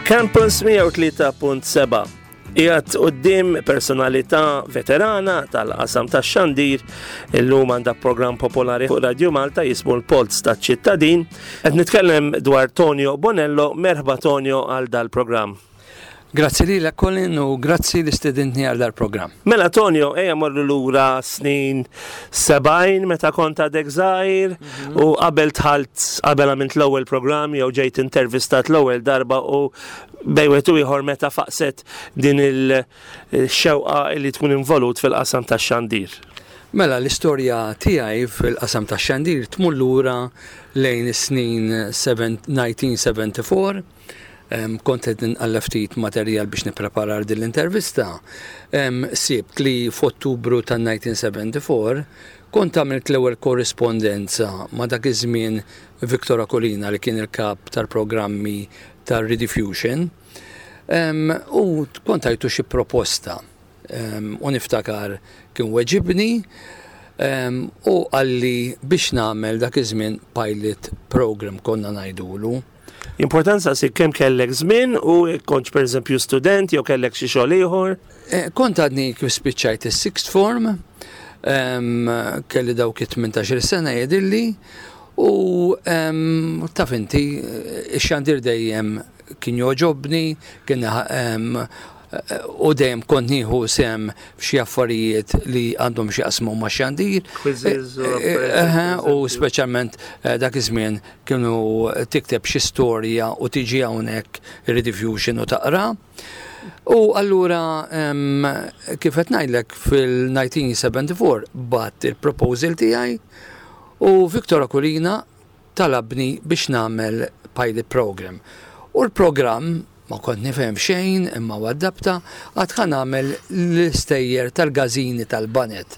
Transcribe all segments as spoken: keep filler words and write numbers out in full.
Campus mija u tlieta punt seba'. Qiegħed quddiem personalità veterana tal-qasam tax-xandir, illum għandha program popolari fuq Radio Malta jismu l-Polz taċ-Ċittadin. Qed nitkellem dwar Tonio Bonello. Merħba, Tonio, għal dal-programm. Grazzi li Colin u grazzi li stedintni għal dal-programm. Mela Tonio, ejja morru lura snin sebgħin meta kont għadek żgħir u qabel dħalt, qabel għamilt l-ewwel programm jew ġejt intervistat l-ewwel darba u bejn wieħed u ieħor meta faqset din il-xewqa li tkun involut fil-qasam tax-xandir. Mela, l-istorja tiegħi fil-qasam tax-xandir tmur lura lejn is-snin elf disa' mija u erbgħa u sebgħin. Um, kont qed nqalleb ftit materjal biex nipprepara din l-intervista. Um, sibt li f'Ottubru tan-elf disa' mija u erbgħa u sebgħin kont għamilt l-ewwel korrispondenza ma' dak iż-żmien Victor Aquilina, li kien il-kap tal-programmi tal-Rediffusion. Um, u kont tajtu xi proposta. Um, u niftakar kien weġibni um, u qalli biex nagħmel dak iż-żmien pilot program, konna ngħidulu. Importanza si kemm kellek żmien u kontx pereżempju student jew kellek xi xogħol ieħor? Eh, Kont għadni kif spiċċajt is-sixth form, em, kelli dawk it-tmintax-il sena jidhirli, u em, taf inti, ix-xandir dejjem kien jogħġobni, kien em, u dejjem kont nieħu sehem f'xi affarijiet li għandhom xi jaqsmu ma' xandir. Quizzes u Eh, U speċjalment eh, dak iż-żmien kienu tikteb xi storja u tiġi hawnhekk Rediffusion u taqra. U allura em, kif qed ngħidlek, fil-elf disa' mija u erbgħa u sebgħin bgħatt il-proposal tiegħi u Victor Aquilina talabni biex nagħmel pilot program. U l-program ma kont nifhem xejn, imma waddabta għad ħa nagħmel l-istejjer tal-gazini tal-baned.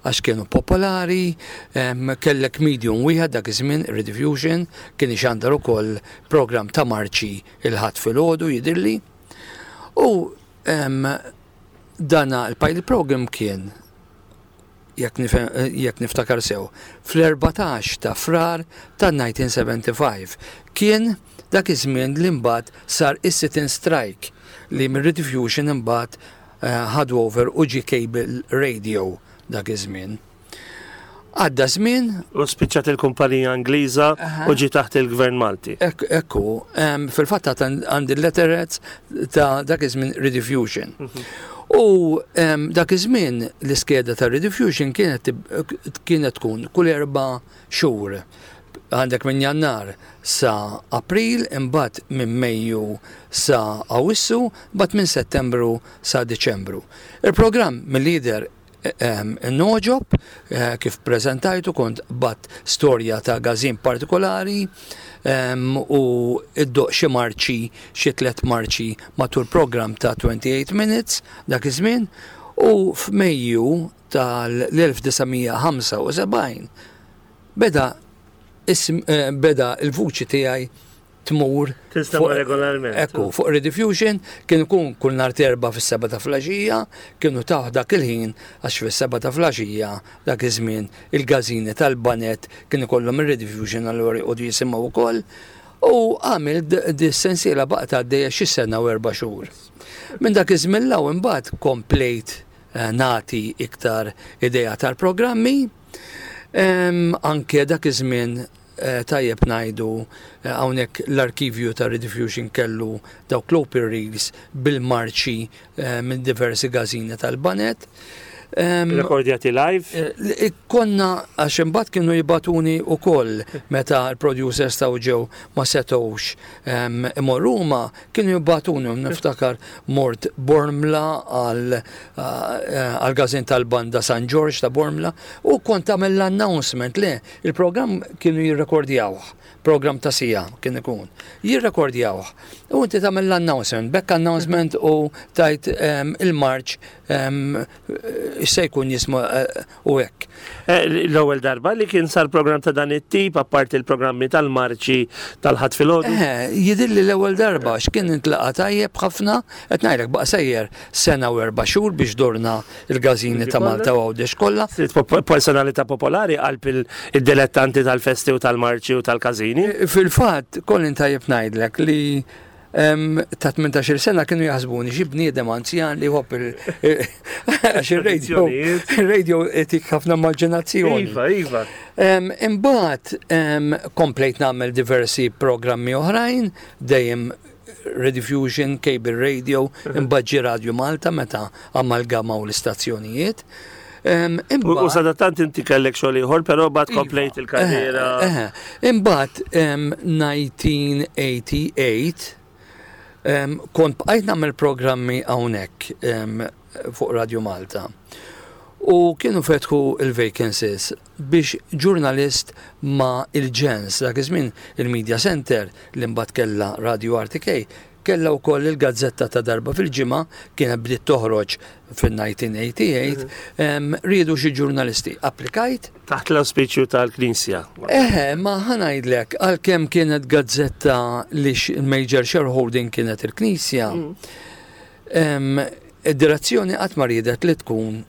Għax kienu popolari, em, kellek medium wieħed dak iż-żmien, Rediffusion, kien ixandar ukoll program ta' marċi il-Ħadd filgħodu, jidhirli. U em, dana il-pilot program kien, jekk nifhem- jekk niftakar sew, fl-erbatax ta' Frar ta' elf disa' mija u sebgħa u sebgħin. Kien dak iż-żmien li mbagħad sar is-sit-in strike li minn Rediffusion imbagħad eh, ħadu over u ġie cable radio dak iż-żmien. Għadda żmien. U spiċċat il-kumpanija Ingliża u ġie taħt il-Gvern Malti. Ek, ekku, em, fil-fatt għandi letterheads ta' dak iż-żmien Rediffusion. U em, dak iż-żmien l-iskeda ta' Rediffusion kienet tib- kienet tkun kull erba' xhur. Għandek minn Jannar sa April, imbagħad minn Mejju sa Awissu, imbagħad minn Settembru sa Diċembru. Il-programm mill-lider ngħoġob eh, kif prezentajtu, kont bgħatt storja ta' gazin partikolari em, u iddoqq xi marċi, xi tlet marċi matul program ta' twenty-eight minutes dak iż-żmien, u f'Mejju tal-elf disa' mija u ħamsa u sebgħin beda ism, eh, beda il-vuċi tiegħi tmur Tinstema' fuq- regolarment. Ekku, fuq Rediffusion kien ikun kull nhar Erbgħa fis-seba ta' filgħaxija, kienu taħ dak il-ħin għax fis-seba ta' filgħaxija dak iż-żmien il-gazini tal-baned kien ikollhom ir-Rediffusion, allura jqogħdu jisimgħu wkoll. U għamil di sensiela baqgħet għaddejja xi sena u erba' xhur. Minn dak iż-żmien 'l hawn imbagħad komplejt eh, nagħti iktar idea tal-programmi. Em, Anke dak iż-żmien eh, tajjeb ngħidu eh, hawnhekk l-arkivju ta' Rediffusion kellu dawk l-open reels bil-marċi eh, minn diversi gazini tal-baned. Em, Rekordjati live. Eh, Konna, għax imbagħad kienu jibagħtuni wkoll meta l-producers taw ġew ma setgħux em, imorru huma, kienu jibagħtuni, u niftakar mort Bormla għal eh, għal gazin tal-banda San George ta' Bormla u kont tagħmel l-announcement. Le, il-programm kienu jirrekordjawh, program ta' siegħa kien ikun. Jirrekordjawh. U inti tagħmel l-announcement, back announcement, u tajt em, il-marċ em, se jkun jismu eh, u hekk. Eh, L-ewwel darba li kien sar program ta' dan it-tip, apparti il-programmi tal-marċi tal-Ħadd filgħodu? Eh, jidhirli l-ewwel darba, x'kien intlaqa tajjeb ħafna, qed ngħidlek baqa' sejjer sena u erba' xhur biex dorna il-gazini ta' Malta u Għawdex kollha. Sirt pop- personalità popolari qalb il- id-dilettanti tal-festi u tal-marċi u tal-każini. Fil-fatt, Colin, tajjeb ngħidlek li Em, ta' tmintax-il sena kienu jaħsbuni xi bniedem anzjan li jħobb il- għax il-radio Tradizzjonijiet. Il-radio itik ħafna immaġinazzjoni. Iva, iva. Em, Imbagħad em, komplejt nagħmel diversi programmi oħrajn, dejjem Rediffusion, Cable Radio, imbagħad ġie Radio Malta meta amalgamaw l-istazzjonijiet. Em, U u Imbagħad sadattant inti kellek xogħol ieħor, però bad Iva. komplejt il-karriera. Eh, eh. Imbagħad em, elf disa' mija u tmienja u tmenin em, kont bqajt nagħmel programmi hawnhekk em, fuq Radio Malta. U kienu fetħu il-vacancies biex ġurnalist ma' Il-Ġens, dak iż-żmien il-Media Center li mbagħad kellha Radio R T K, kella wkoll il-gazzetta ta' darba fil-ġimgħa, kienet bdiet toħroġ fil-elf disa' mija u tmienja u tmenin, em, riedu xi ġurnalisti. Applikajt. Taħt l-auspiċju tal-Knisja. Eħe, ma ħa ngħidlek, għalkemm kienet gazzetta li x- il-major shareholding kienet il-Knisja, em, id-direzzjoni qatt ma riedet li tkun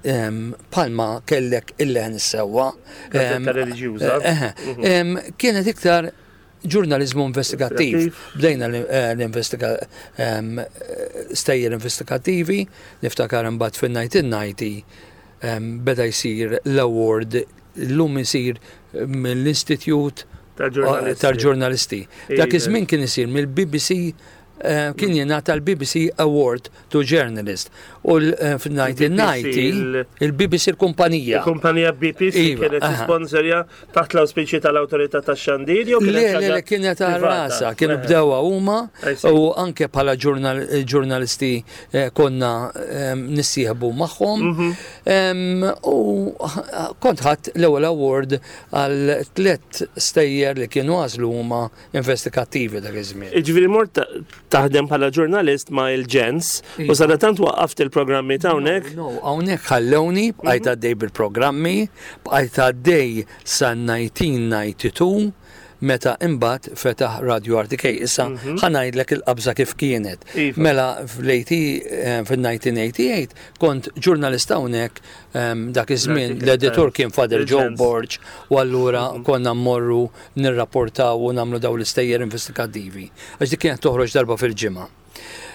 em, palma kellek il-leħen is-sewwa. Gazzetta Em, reliġjuża. Eħe, em, kienet iktar ġurnalizmu investigattiv. Investigattiv. Bdejna l- eh, l-investiga em, stejjer investigattivi, niftakar imbagħad fil-elf disa' mija u disgħin em, beda jsir l-award, l-lum isir mill-Institute Tal-ġurnalisti. tal-ġurnalisti. Dak Iva. iż-żmien kien isir mill-B B C, eh, kien jingħata l-B B C Award to Journalist. U l- eh, fil-elf disa' mija u disgħin il- il-B B C il-kumpanija. Il-kumpanija B B C Iva, kienet aha. sponsorja taħt l-auspiċi tal-autorità tax-xandir jew Le, kienet le, ħaġa le, kienet privata? għal-rasa, kienu Eħe. bdewa huma I see. u anke bħala ġurnal- ġurnalisti eh, konna em, nissieħbu magħhom. Mhm. Em, U kont ħadt l-ewwel award għal tliet stejjer li kienu għażlu huma investigattivi dak iż-żmien. Ġifieri mort ta- taħdem bħala ġurnalist ma' Il-Ġens u Iva. sadattant waqqaft il-programmi ta' hawnhekk. No, hawnhekk ħallewni, bqajt għaddej bil-programmi, bqajt għaddej sa elf disa' mija u tnejn u disgħin meta imbagħad fetaħ Radio R T K. Issa ħa ngħidlek il-qabża kif kienet. Iva. Mela fl-tmenin fil-elf disa' mija u tmienja u tmenin kont ġurnalist hawnhekk em, dak iż-żmien L-R T K, l-editur kien Father Joe Il-Ġens. Borg u allura konna mmorru nirrapportaw u nagħmlu daw l-istejjer investigattivi. Għax dik kienet toħroġ darba fil-ġimgħa.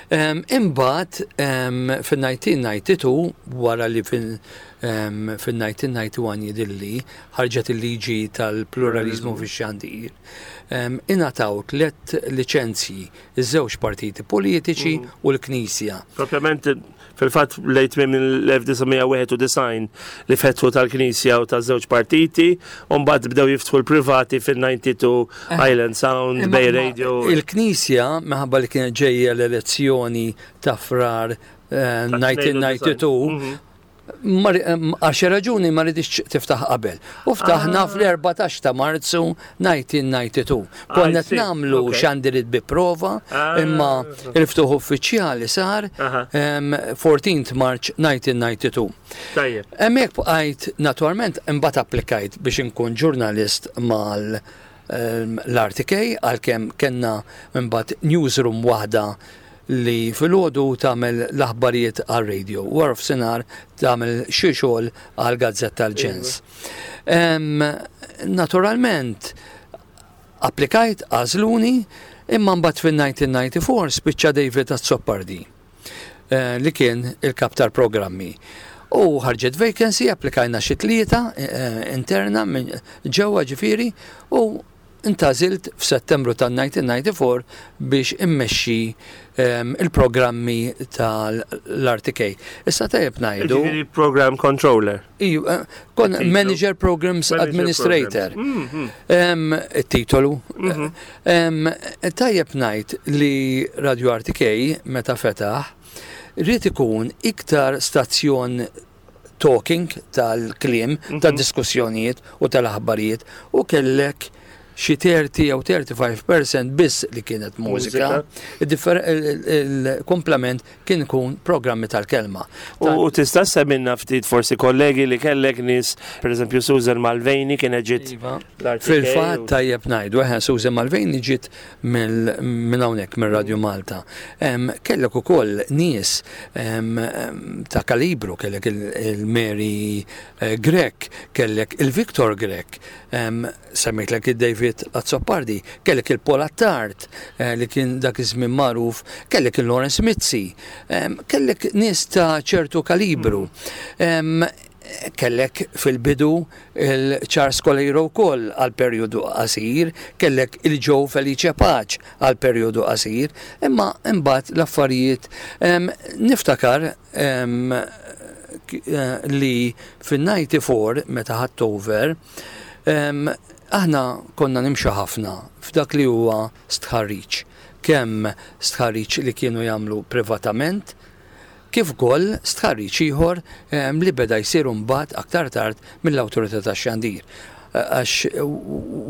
Um, Imbagħad um, fil-elf disa' mija u tnejn u disgħin, wara li fil- um, fil-elf disa' mija u disgħa u disgħin jidhirli ħarġet il-liġi tal-pluralizmu fix-xandir, um, ingħataw tliet liċenzji iż-żewġ partiti politiċi u l-Knisja. Propjament fil-fatt lejt minn l-elf disa' mija u wieħed u disgħin li fetħu tal-Knisja u taż-żewġ partiti, u mbagħad bdew jiftħu l-privati fil-tnejn u disgħin Island Sound, Imma- Bay ma- Radio. Il-Knisja, minħabba li kienet ġejja l-elezzjoni ta' Frar eh, elf disa' mija u tnejn u disgħin, Mhm. Ma- em, għal xi raġuni ma ridix tiftaħ qabel. U ftaħna Ah. fl-erbatax ta' Marzu elf disa' mija u tnejn u disgħin. Konna I see. nagħmlu Okay. xandirit bi prova, Ah. imma il-ftuħ uffiċjali sar Aha. em, fourteenth March nineteen ninety-two. Tajjeb. Hemmhekk bqajt naturalment, imbagħad applikajt biex inkun ġurnalist mal em, l-R T K, għalkemm kellna imbagħad newsroom waħda li filgħodu tagħmel l-aħbarijiet għal radio u wara f'sinar tagħmel xi xogħol għal gazzetta Tal-Ġens. Em, Naturalment applikajt, għażluni, imma mbagħad fil-elf disa' mija u disgħa u disgħin spiċċa David Azzopardi eh, li kien il-kap tal-programmi. U ħarġet vacancy, applikajna xi tlieta eh, interna minn ġewwa ġifieri u intgħażilt f'Settembru tal-elf disa' mija u disgħa u disgħin biex immexxi em, il-programmi tal-R T K. Issa tajjeb ngħidu. Ġifieri program controller. Iju, eh, kon Il-titlu. Manager Programs Manager Administrator. Programs. Mhm. Em, Il-titolu. Em, Tajjeb ngħid li Radio R T K meta fetaħ rrid ikun iktar stazzjon talking tal-kliem, tad-diskussjonijiet u tal-aħbarijiet u kellek xi thirty jew thirty-five percent biss li kienet mużika. Il-differ- il- Il-komplement kien ikun programmi tal-kelma. U u tista' semmilna ftit forsi kollegi li kellek, nies, per eżempju Susan Malveni kienet ġiet Iva. l-R T K Fil-fatt u- tajjeb ngħidu, eħe, Susan Malveni ġiet mill- minn hawnhekk minn Radio Malta. Em, Kellek ukoll nies em, em, ta' kalibru, kellek il- il-Mary eh, Grech, kellek il-Victor Grech, em, semmejtlek il-David David Azzopardi, kellek il-Paul Attard eh, li kien dak iż-żmien magħruf, kellek il-Lawrence Mizzi, em, kellek nies ta' ċertu kalibru. Em, kellek fil-bidu il-Charles Coleiro wkoll għal perjodu qasir, kellek il-Joe Felice Pace għal perjodu qasir, imma imbagħad l-affarijiet em, niftakar em, k- eh, li fin-disgħa u disgħin meta ħadt over, em, aħna konna nimxu ħafna f'dak li huwa stħarriġ. Kemm stħarriġ li kienu jagħmlu privatament, kif ukoll stħarriġ ieħor em, li beda jsir mbagħad aktar tard mill-Awtorità tax-Xandir. Għax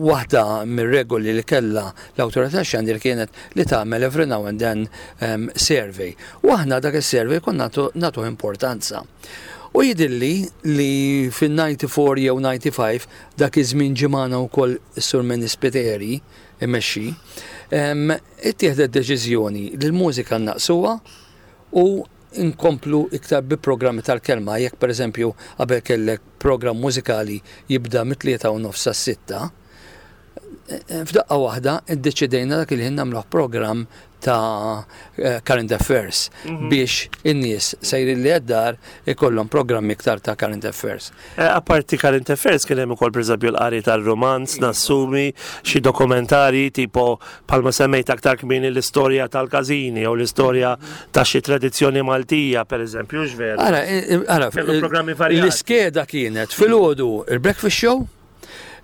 waħda mir-regoli li kellha l-Awtorità tax-Xandir kienet li tagħmel every now and then um, survey. U aħna dak is-survey konna nagħtu nagħtu importanza. U jidhirli li fin-disgħa u disgħin jew disgħa u disgħin, dak iż-żmien ġie magħna wkoll is-Sur Manny Spiteri imexxi, em, ittieħdet deċiżjoni li l-mużika naqsuha u inkomplu iktar bi programmi tal-kelma. Jekk per eżempju qabel kellek programm mużikali jibda mit-tlieta u nofs sitta, f'daqqa waħda iddeċidejna dak il-ħin nagħmluh programm ta' eh, current affairs biex in-nies sejrin li għad-dar ikollhom programmi iktar ta' current affairs. Eh, Apparti current affairs kien hemm ukoll, pereżempju, l-qari tal-romanz, nassumi, xi dokumentari tipo bħalma semmejt aktar kmieni l-istorja tal-każini jew l-istorja ta' xi tradizzjoni Maltija, pereżempju, x'veru. Ara, eh, ara, Kellu programmi varjati. L-iskeda kienet filgħodu il-breakfast show,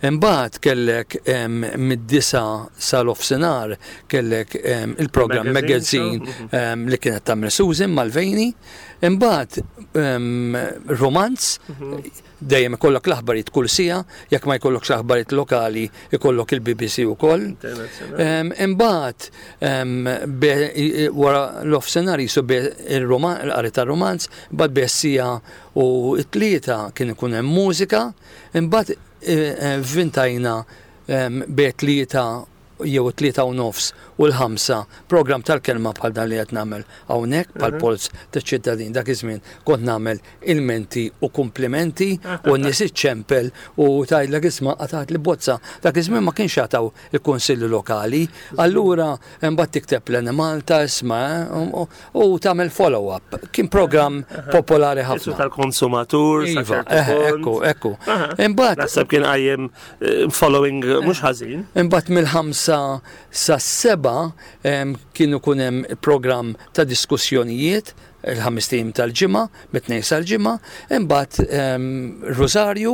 imbagħad kellek em, mid-disgħa sal-nofsinhar kellek em, il-programm Magazine magazine show, em, li kienet tagħmel Susan Malvejni, imbagħad em, romanz, dejjem ikollok l-aħbarijiet kull siegħa, jekk ma jkollokx l-aħbarijiet lokali ikollok il-B B C ukoll. Em, Imbagħad em, be- i- i- wara l-nofsinhar jisu be il-qari tar-romanz, imbagħad bejn siegħa u t-tlieta kien ikun hemm mużika, imbagħad eh, eh, vvintajna em, bejn tlieta jew tlieta u nofs u l-ħamsa program tal-kelma bħal dan li qed nagħmel hawnhekk, bħal Polz taċ-Ċittadin. Dak iż-żmien kont nagħmel ilmenti u kumplimenti u n-nies iċċempel u tgħidlek, "Isma', qatgħatli bozza." Dak iż-żmien ma kienx jagħtaw il-kunsilli lokali, allura imbagħad tikteb l-Enemalta, isma', u- u u tagħmel follow-up. Kien program popolari Isu ħafna. tal-konsumatur, sa Iva, ċertu eh, punt. ekku, ekku. Aha. Imbagħad Naħseb kien qajjem eh, following eh, mhux ħażin. Imbagħad mill-ħamsa sa seba em, kienu kun hemm program ta' diskussjonijiet il-ħames ijiem tal-ġimgħa, mit-tnejn sal-ġimgħa, imbagħad em, Rosarju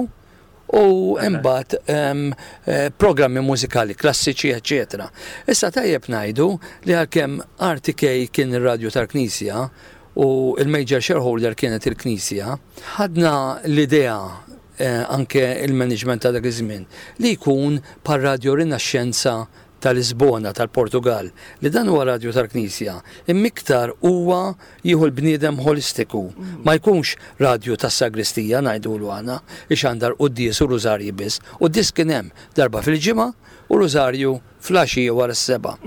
u imbagħad em, eh, programmi mużikali klassiċi, eċċetera. Issa tajjeb ngħidu li għalkemm R T K kien ir-radju tal-Knisja u il-major shareholder kienet il-Knisja, ħadna l-idea eh, anke il-management ta' dak iż-żmien li jkun par Radio Rinaxxenza ta' Lisbona tal-Portugal, li dan huwa radju tal-Knisja imma iktar huwa jieħu l-bniedem holistiku, ma jkunx radju tas-sagristija, ngħidulu aħna, ixandar quddies u rużarji biss. Quddies kien hemm darba fil-ġimgħa u rużarju filgħaxija wara s-sebgħa.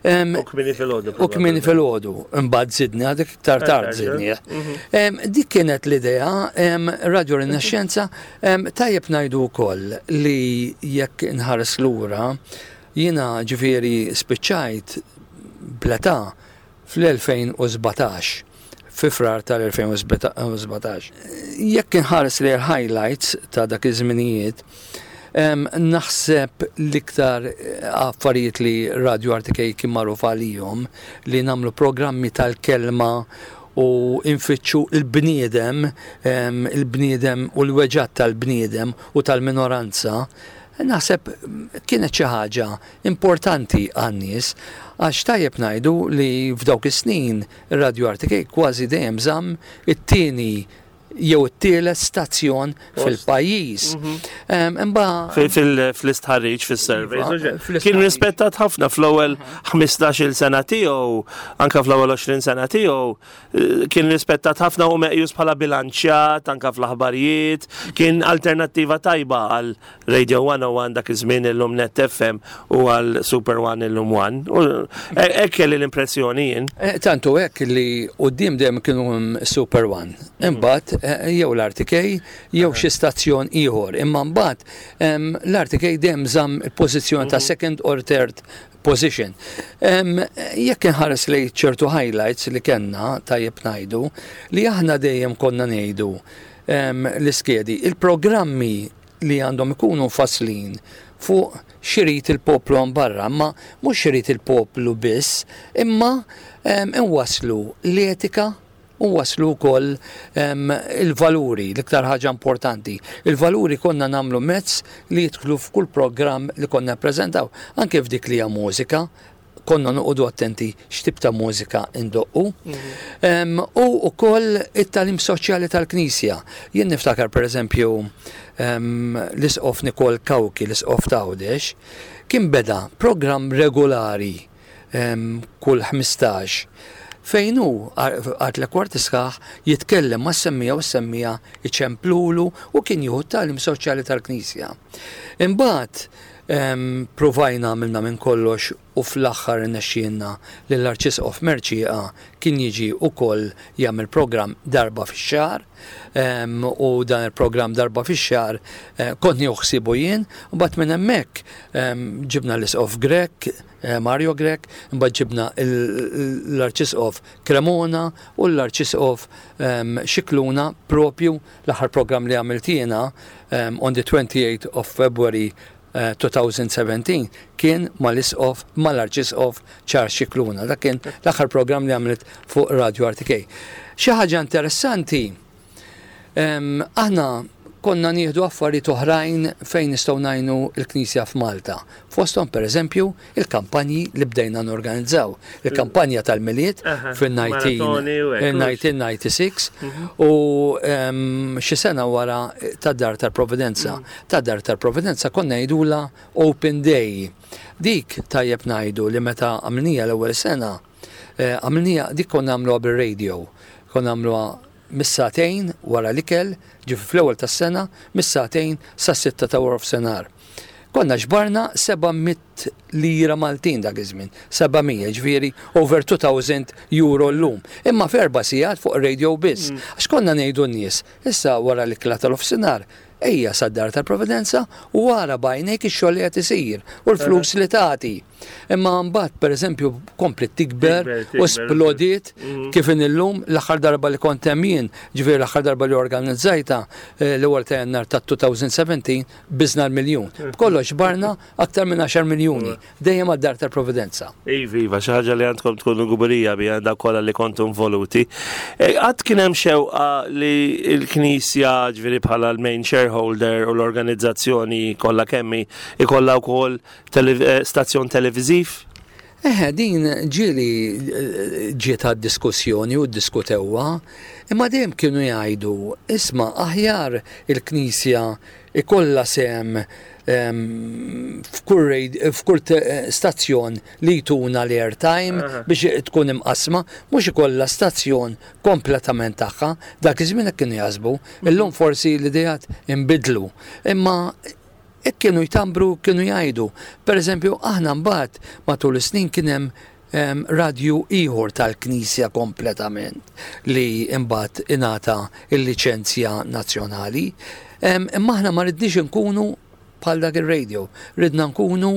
Em, U kmieni filgħodu. U kmieni filgħodu, imbagħad żidna dik iktar tard żidni. Em, Dik kienet l-idea, em, Radio Rinaxxenza, em, tajjeb ngħidu wkoll li jekk inħares lura, jiena ġifieri spiċċajt bl-età fl-elfejn u sbatax, fi Frar tal-elfejn u sbatax. Jekk inħares li l-highlights ta' dak iż-żminijiet, em, naħseb l-iktar eh, affarijiet li Radio R T K kien magħruf għalihom li nagħmlu programmi tal-kelma u infittxu il-bniedem, em, il-bniedem u l-weġgħat tal-bniedem u tal-minoranza, naħseb kienet xi ħaġa importanti għan-nies, għax tajjeb ngħidu li f'dawk is-snin ir-Radio R T K kważi dejjem żamm it-tieni jew it-tielet stazzjon fil-pajjiż. Em, Imma Fil-istħarriġ, fil-surveys. Iva, Kien fl-istħarriġ. rispettat ħafna fl-ewwel ħmistax-il sena tiegħu, anka fl-ewwel għoxrin sena tiegħu, eh, kien rispettat ħafna u meqjus bħala bilanċjat anka fl-aħbarijiet, kien alternattiva tajba għal Radio one oh one dak iż-żmien, illum Net F M, u għal Super One, illum One. U e- hekk kelli l-impressjoni jien. Eh, Tantu hekk li quddiem dejjem kienu Super One. Imbagħad eh, jew l-R T K jew xi stazzjon ieħor. Imma mbagħad em, l-R T K dejjem żamm il-pożizzjoni ta' second or third position. Em, Jekk inħares li ċertu highlights li kellna, tajjeb ngħidu li aħna dejjem konna ngħidu em, l-iskedi, il-programmi li għandhom ikunu mfasslin fuq x'irid il-poplu hemm barra, ma mhux x'irid il-poplu biss, imma em, inwaslu l-etika u waslu wkoll em, il-valuri, l-iktar ħaġa importanti. Il-valuri konna nagħmlu mezz li jidħlu f'kull programm li konna ppreżentaw, anke f'dik li hija mużika, konna noqogħdu attenti x'tip ta' mużika indoqqu. Em, U ukoll it-tagħlim soċjali tal-Knisja. Jien niftakar, per eżempju, em, l-Isqof Nikol Cauchi, l-Isqof t'Għawdex, kien beda programm regolari em, kull ħmistax fejn hu għal tliet kwarti sħaħ jitkellem ma' semmiegħa u s-semmiegħa iċemplulu u kien jieħu tagħlim soċjali tal-Knisja. Imbagħad em, provajna, għamilna minn kollox u fl-aħħar irnexxielna li l-Arċisqof Mercieca kien jiġi ukoll jagħmel programm darba fix-xahar em, u dan il-programm darba fix-xahar eh, kont nieħu ħsiebu jien u mbagħad minn hemmhekk em, ġibna l-Isqof Grech, eh, Mario Grech, mbagħad ġibna l- l-Arċisqof Cremona u l-Arċisqof em, Scicluna. Propju l-aħħar programm li għamilt jiena em, on the twenty-eighth of February eh, twenty seventeen kien mal-Isqof, mal-Arċisqof Charles Scicluna. Dak kien l-aħħar programm li għamilt fuq Radio R T K. Xi ħaġa interessanti, em, aħna konna nieħdu affarijiet oħrajn fejn nistgħu ngħinu l-Knisja f'Malta. Fosthom, pereżempju, il-kampanji li bdejna norganizzaw. Il-kampanja tal-Milied Aha, fil-nineteen maratoni u hekk. nineteen ninety-six u em, xi sena wara tad-Dar tal-Providenza. Tad-Dar tal-Providenza konna ngħidula Open Day. Dik tajjeb ngħidu li meta għamilnieha l-ewwel sena, eh, għamilnieha dik konna nagħmluha bir-radio. Konna nagħmluha mis-sagħtejn wara l-ikel, ġifieri fl-ewwel tas-sena, mis-sagħtejn sa sitta ta' wara nofsinhar. Konna ġbarna seba' mitt lira Maltin dak iż-żmien, seba' mija, ġifieri over two thousand euro llum. Imma f'erba' sigħat fuq radio biss. Għax konna ngħidu n-nies, issa wara l-ikla tal-nofsinhar, ejja sad-Dar tal-Providenza u wara b'għajnejk ix-xogħol li qed isir u l-flus li tagħti. Imma mbagħad, pereżempju, komplet tikber Tikber, u tikber. splodiet kif in illum. L-aħħar darba li kont hemm jien, ġifieri l-aħħar darba li organizzajta, eh, l-ewwel ta' Jannar ta' elfejn u sbatax biżna l-miljun. B'kollox ġbarna aktar minn għaxar miljuni dejjem għad-Dar tal-Providenza. Iva, iva, xi ħaġa li għandkom tkunu kburija biha dak kollha li kontu involuti. E, Għad kien hemm xewqa li l-Knisja, ġifieri bħala l-main shareholder u l-organizzazzjoni kollha kemm hi, ikollha wkoll tele- eh, stazzjon televiżiv? Eħe, din ġieli eh, ġiet għad diskussjoni u diskutewha, imma dejjem kienu jgħidu, isma', aħjar il-Knisja ikollha sehem em, f'kull rad- f'kull te- stazzjon li jtuna l-airtime Aha. biex tkun imqasma, mhux ikollha stazzjon kompletament tagħha. Dak iż-żmien hekk kienu jaħsbu, illum forsi l-idejat inbidlu. Imma hekk kienu jtambru, kienu jgħidu. Per eżempju, aħna mbagħad matul is-snin kien hemm em, radju ieħor tal-Knisja kompletament li imbagħad ingħata il-liċenzja nazzjonali. Em, Imma aħna ma ridniex nkunu bħal dak ir-radio, ridna nkunu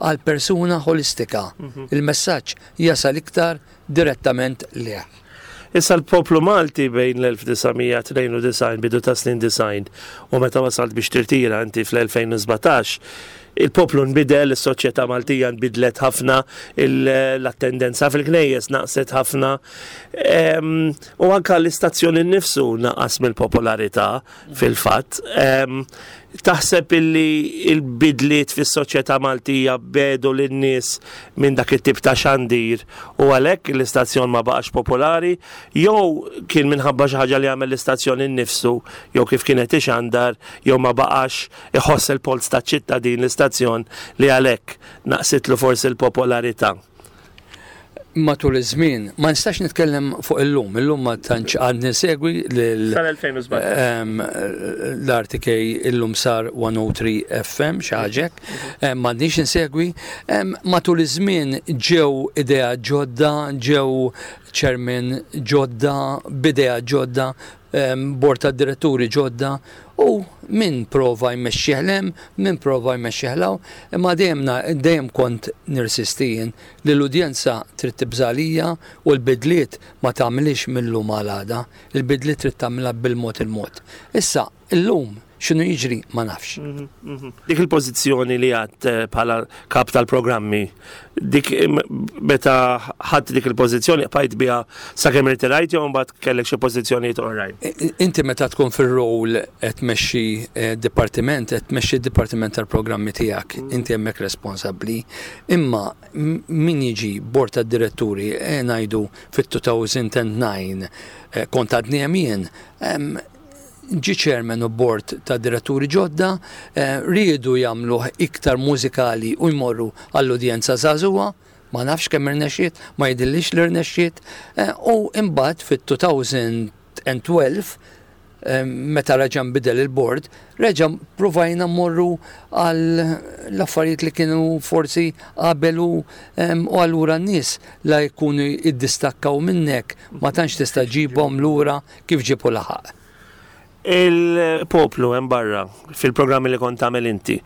għal persuna holistika. Il-messaġġ jasal iktar direttament leh. Issa l-poplu Malti bejn l-elf disa' mija tnejn u disgħin, bidu ta' snin disgħin, u meta wasalt biex tirtira inti fl-elfejn u sbatax, il-poplu nbidel, is-soċjetà Maltija nbidlet ħafna, il- l-attendenza fil-knejjes naqset ħafna, Em, u anka l-istazzjon innifsu naqas mill-popolarità fil-fatt. Em, Taħseb illi il-bidliet fis-soċjetà Maltija biegħdu lin-nies minn dak it-tip ta' xandir u għalhekk l-istazzjon ma baqax popolari, jew kien minħabba xi ħaġa li għamel l-istazzjon innifsu, jew kif kienet ixandar, jew ma baqax iħoss il-polz ta' ċittadin l-istazzjon li għalhekk naqsitlu forsi l-popolarità? Matul iż-żmien, ma nistax nitkellem fuq illum, illum ma tantx għadni nsegwi lil Sal-elfejn u sbatax. Em, l-R T K illum sar one oh three F M xi ħaġa hekk, m'għadniex insegwi. Em, Matul iż-żmien ġew idea ġodda, ġew chairman ġodda, b'idea ġodda. Bord ta' diretturi ġodda u min prova jmexxih 'l hemm, min prova jmexxih 'l hawn, imma dejjem dejjem kont nirsisti jien li l-udjenza trid tibża' lija u l-bidliet ma tagħmilix mill-lum għal għada, il-bidliet trid tagħmilha bil-mod il-mod. Issa, illum x'inhu jiġri ma nafx. Mhm, mhm. Dik il-pożizzjoni li għad eh, bħala kap tal-programmi, dik meta ħadd dik il-pożizzjoni bqajt biha sakemm irtirajt jew mbagħad kellek xi pożizzjonijiet oħrajn? Inti meta tkun fir-rol qed tmexxi eh, dipartiment, qed tmexxi d-dipartiment tal-programmi tiegħek, mm. inti hemmhekk responsabbli. Imma min jiġi bord tad-diretturi, eh, ngħidu fit-elfejn u disa', kont għadni hemm jien, ġi chairman u board ta' diretturi ġodda, eh, riedu jagħmluh iktar mużikali u jmorru għall-udjenza żagħżugħa, ma nafx kemm irnexxiet, ma jidhirlix li rnexxiet, eh, u imbagħad fit-elfejn u tnax eh, meta reġa' nbidel il-board, reġa' provajna mmorru għal l-affarijiet li kienu forsi qabel u u allura n-nies la jkunu iddistakkaw minnek, ma tantx tista' ġibhom lura kif ġibu laħaq. Il-poplu hemm barra fil-programmi li kont tagħmel inti,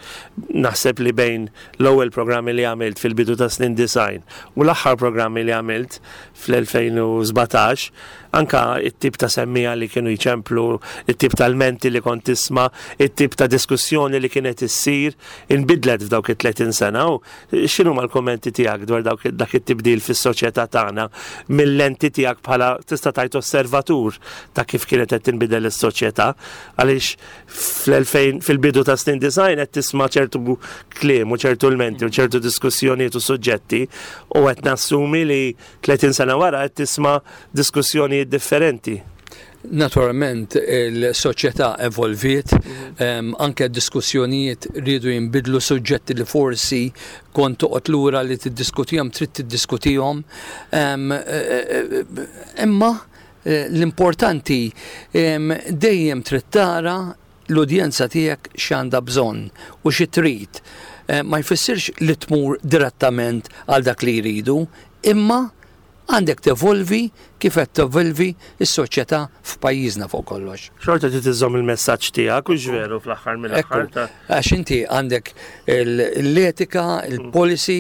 naħseb li bejn l-ewwel programmi li għamilt fil-bidu ta' snin disgħin u l-aħħar programmi li għamilt fl-elfejn u sbatax, anka it-tip ta' semmiegħa li kienu jċemplu, it-tip ta' lmenti li kont tisma', it-tip ta' diskussjoni li kienet issir, inbidlet f'dawk it-tletin sena. U x'inhu l-kommenti tiegħek dwar dawk dak it-tibdil fis-soċjetà tagħna mill-lenti tiegħek bħala, tista' tgħid, osservatur ta' kif kienet qed tinbidel is-soċjetà? Għaliex fl-elfejn, fil-bidu ta' snin disgħin, qed tisma' ċertu kliem u ċertu lmenti u ċertu diskussjonijiet u suġġetti u qed nassumi li tletin sena wara qed tisma' diskussjonijiet differenti. Naturalment il-soċjetà evolviet, um, anke diskussjonijiet rridu jinbidlu, suġġetti li forsi kont toqgħod lura li tiddiskutihom trid tiddiskutihom. Um, imma eh, l-importanti um, dejjem trid tara l-udjenza tiegħek x'għandha bżonn u xi trid. Eh, ma jfissirx li tmur direttament għal dak li jridu, imma għandek tevolvi kif qed tevolvi s-soċjetà f'pajjiżna fuq kollox. Xorta trid iżżomm il-messaġġ tiegħek u veru fl-aħħar mill-aħħar ta' Għax inti għandek l-etika, il-policy,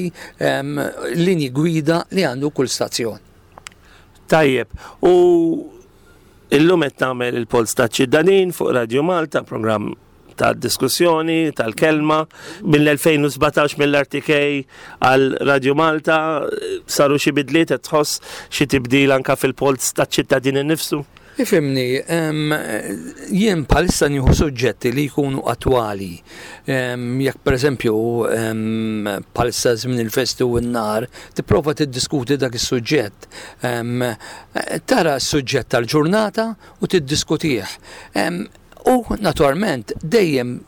linji gwida li għandu kull stazzjon. Tajjeb, u illum qed tagħmel il-Polz taċ-Ċittadin fuq Radio Malta, programm ta' diskussjoni, tal-kelma. Mill-elfejn u sbatax mill-R T K għal Radio Malta, saru xi bidliet? Qed tħoss xi tibdil anka fil-Polz taċ-Ċittadin innifsu? Ifhimni, jien bħalissa nieħu suġġetti li jkunu attwali. Jekk per eżempju bħalissa żmien il-festi u n-nar, tipprova tiddiskuti dak is-suġġett. Tara s-suġġett tal-ġurnata u tiddiskutih. U naturalment dejjem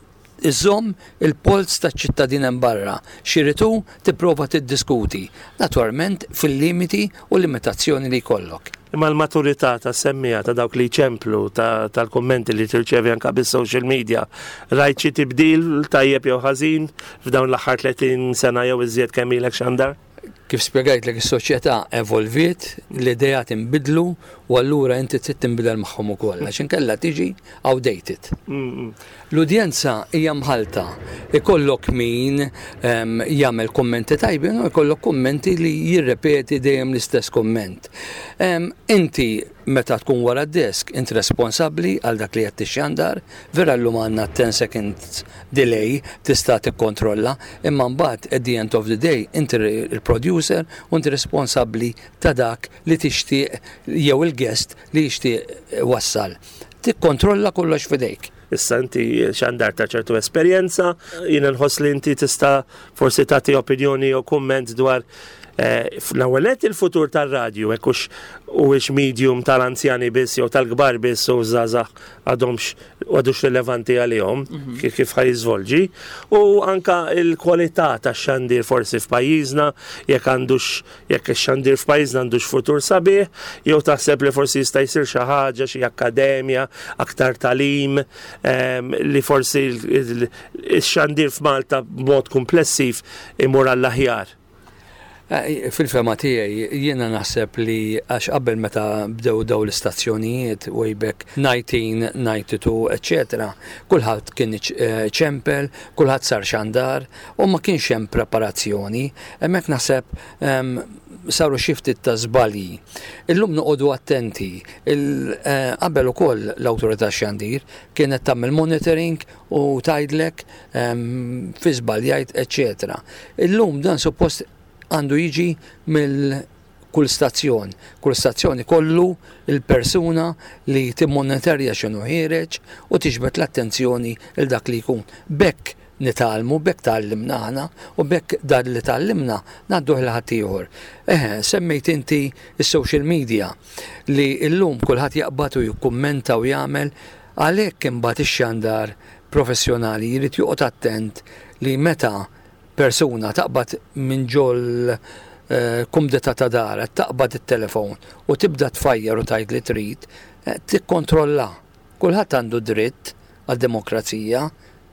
iżomm il-polz taċ-ċittadin hemm barra. X'irid hu tipprova tiddiskuti. Naturalment fil-limiti u limitazzjoni li jkollok. Imma l-maturità ta' semmiegħa, ta' dawk li ċemplu, tal-kommenti li tirċevi anka bis-social media, rajt xi tibdil tajjeb jew ħażin f'dawn l-aħħar tletin sena jew iżjed kemm ilek xandar? Kif spjegajtlek, is-soċjetà evolviet, l-idejat inbidlu u allura inti trid tinbidel magħhom ukoll għax inkella tiġi outdated. L-udjenza hija mħalta. Ikollok min em, jagħmel kummenti tajbin u ikollok kummenti li jirrepeti dejjem l-istess kumment. Em, Inti meta tkun wara d-desk, inti responsabbli għal dak li qed tixxandar, vera llum għandna ten seconds delay tista' tikkontrolla, imma mbagħad at the end of the day inti il-producer u inti responsabbli ta' dak li tixtieq jew il-guest li jixtieq wassal. Tikkontrolla kollox f'idejk. Issa inti xandar ta' ċertu esperjenza, jiena nħoss li inti tista' forsi tagħti opinjoni jew kumment dwar eh, l-ewwel nett il-futur tar-radju, hekk hux huwiex medium tal-anzjani biss jew tal-kbar biss u żgħażagħ għadhomx għadux rilevanti għalihom, kif kif ħa jiżvolġi, u anka il-kwalità tax-xandir forsi f'pajjiżna, jekk għandux jekk ix-xandir f'pajjiżna għandux futur sabiħ jew taħseb li forsi jista' jsir xi ħaġa, xi akkademja, aktar tagħlim, em, li forsi il- il- ix-xandir f'Malta b'mod komplessiv imur għall-aħjar. Eh, fil-fehma tiegħi jiena naħseb li għax qabel meta bdew daw l-istazzjonijiet way back nineteen ninety-two, eċetera, kulħadd kien eh, ċempel, kulħadd sar xandar u ma kienx hemm preparazzjoni. Hemmhekk naħseb em, saru xi ftit ta' żbalji. Illum noqogħdu attenti. Il- eh, Qabel ukoll l-awtorità xandir kienet tagħmel monitoring u tgħidlek em, fi żbaljajt, eċetera. Illum dan suppost għandu jiġi mill kull stazzjon. Kull stazzjon ikollu il-persuna li timmonitorja x'inhu ħiereġ u tiġbed l-attenzjoni il dak li jkun. B'hekk nitgħallmu, b'hekk tgħallimna aħna u b'hekk dan li tgħallimna ngħadduh lil ħaddieħor. Eħe, semmejt inti is-social media li illum kulħadd jaqbad u jikkummenta u jagħmel. Għalhekk imbagħad ix-xandar professjonali jrid joqgħod attent li meta persuna taqbad minn ġol eh, kumdità ta' dara, taqbad it-telefon u tibda tfajjar u tgħid li trid, eh, tikkontrolla. Kulħadd għandu dritt għad-demokrazija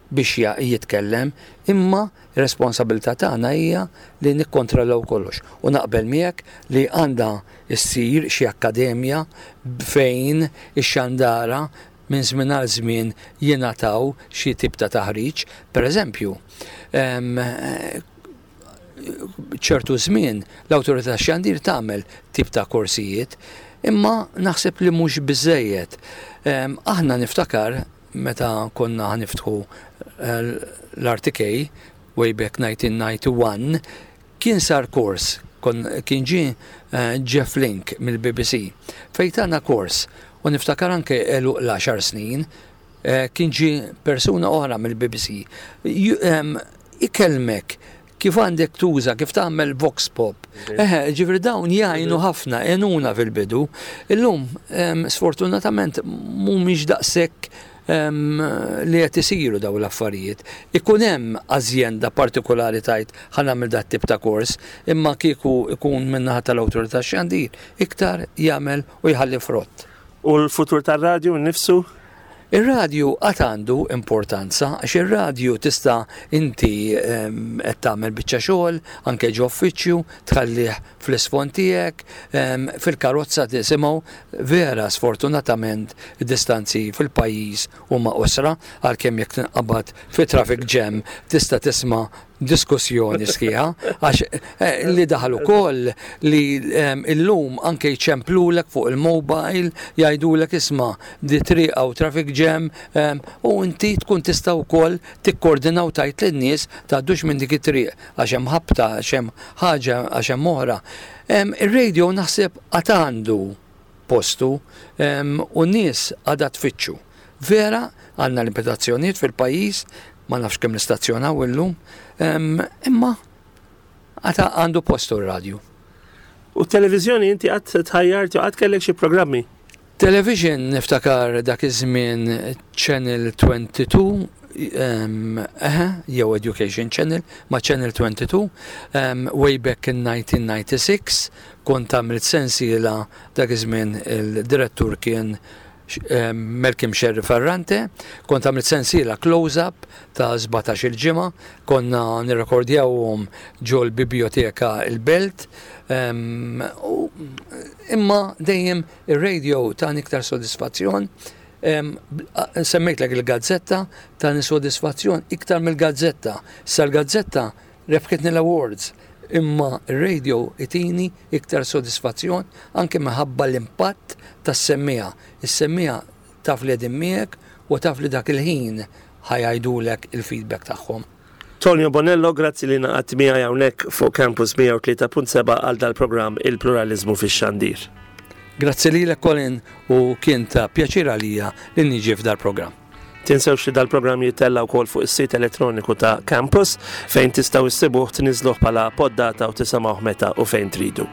biex ja- jitkellem, imma r-responsabilità tagħna hija li nikkontrollaw kollox. U naqbel miegħek li għandha issir xi akkademja fejn ix-xandara minn żmien għal żmien jingħataw xi tip ta' taħriġ. Per eżempju, em, ċertu żmien l-awtorità xandir tagħmel tip ta' korsijiet, imma naħseb li mhux biżejjed. Em, Aħna niftakar meta konna ħa niftħu eh, l-R T K way back nineteen ninety-one, kien sar kors, kon, kien ġie eh, Jeff Link mill-B B C fejn tana kors u niftakar anke għeluq l-għaxar snin eh, kien ġie persuna oħra mill-B B C Ju- em, ikellmek kif għandek tuża, kif tagħmel vox pop. Eħe, ġifieri dawn jgħinu ħafna, għenuna fil-bidu. Illum, em, sfortunatament, mhumiex daqshekk em, li qed isiru daw l-affarijiet. Ikun hemm ażjenda partikolari tgħid ħa nagħmel dat tip ta' kors, imma kieku ikun min-naħa tal-awtorità xandir, iktar jagħmel u jħalli frott. U l-futur tar-radju nnifsu? Ir-radju għad għandu importanza, għax ir-radju tista' inti em, qed tagħmel biċċa xogħol, anke ġo uffiċċju, tħallih fl-isfond tiegħek, em, fil-karozza tisimgħu. Vera, sfortunatament id-distanzi fil-pajjiż huma qosra, għalkemm jekk tinqabad fi traffic jam tista' tisma' diskussjoni sħiħa, għax eh, li daħal ukoll li em, illum anke jċemplulek fuq il-mobile, jgħidulek, "Isma', di triq hawn traffic jam," em, u inti tkun tista' wkoll tikkordina u tgħid lin-nies, "Tgħaddux minn dik it-triq għax hemm ħabta, għax hemm ħaġa, għax hemm oħra." Em, Ir-radio naħseb għad għandu postu em, u n-nies għadha tfittxu. Vera, għandna limitazzjonijiet fil-pajjiż, ma nafx kemm nistazzjonaw illum, em, imma għad għandu postu r-radju. U televizjoni inti qatt tħajjart u qatt kellek xi programmi? Television, niftakar dak iż-żmien Channel twenty-two, um, eħe, jew Education Channel, ma Channel twenty-two, um, way back in nineteen ninety-six, kont għamilt sensiela. Dak iż-żmien il-direttur kien um, Malcolm Scerri Ferrante, kont għamilt sensiela close-up ta' sbatax il-ġimgħa, konna nirrekordjawhom ġol biblioteka il-Belt, um, u, imma dejjem ir-radio tani iktar sodisfazzjon. Em, Semmejtlek il-gazzetta, tani sodisfazzjon iktar mill-gazzetta. Sa l-gazzetta rebħitni l-awards, imma il-radio itini iktar sodisfazzjon anke minħabba l-impatt tas-semmiegħa. Is-semmiegħa taf li qegħdin miegħek u taf li dak il-ħin ħa jgħidulek il-feedback tagħhom. Tonio Bonello, grazzi li ngħaqadt miegħi hawnhekk fuq Campus mija u tlieta punt seba' għal dal-programm Il-Pluralizmu fix-Xandir. Grazzi lilek, Colin, u kien ta' pjaċir għalija li niġi f'dal-programm. Tinsewx li dal-programm jittella wkoll fuq is-sit elettroniku ta' Campus, fejn tistgħu issibuh, tniżluh bħala poddata u tisimgħuh meta u fejn tridu.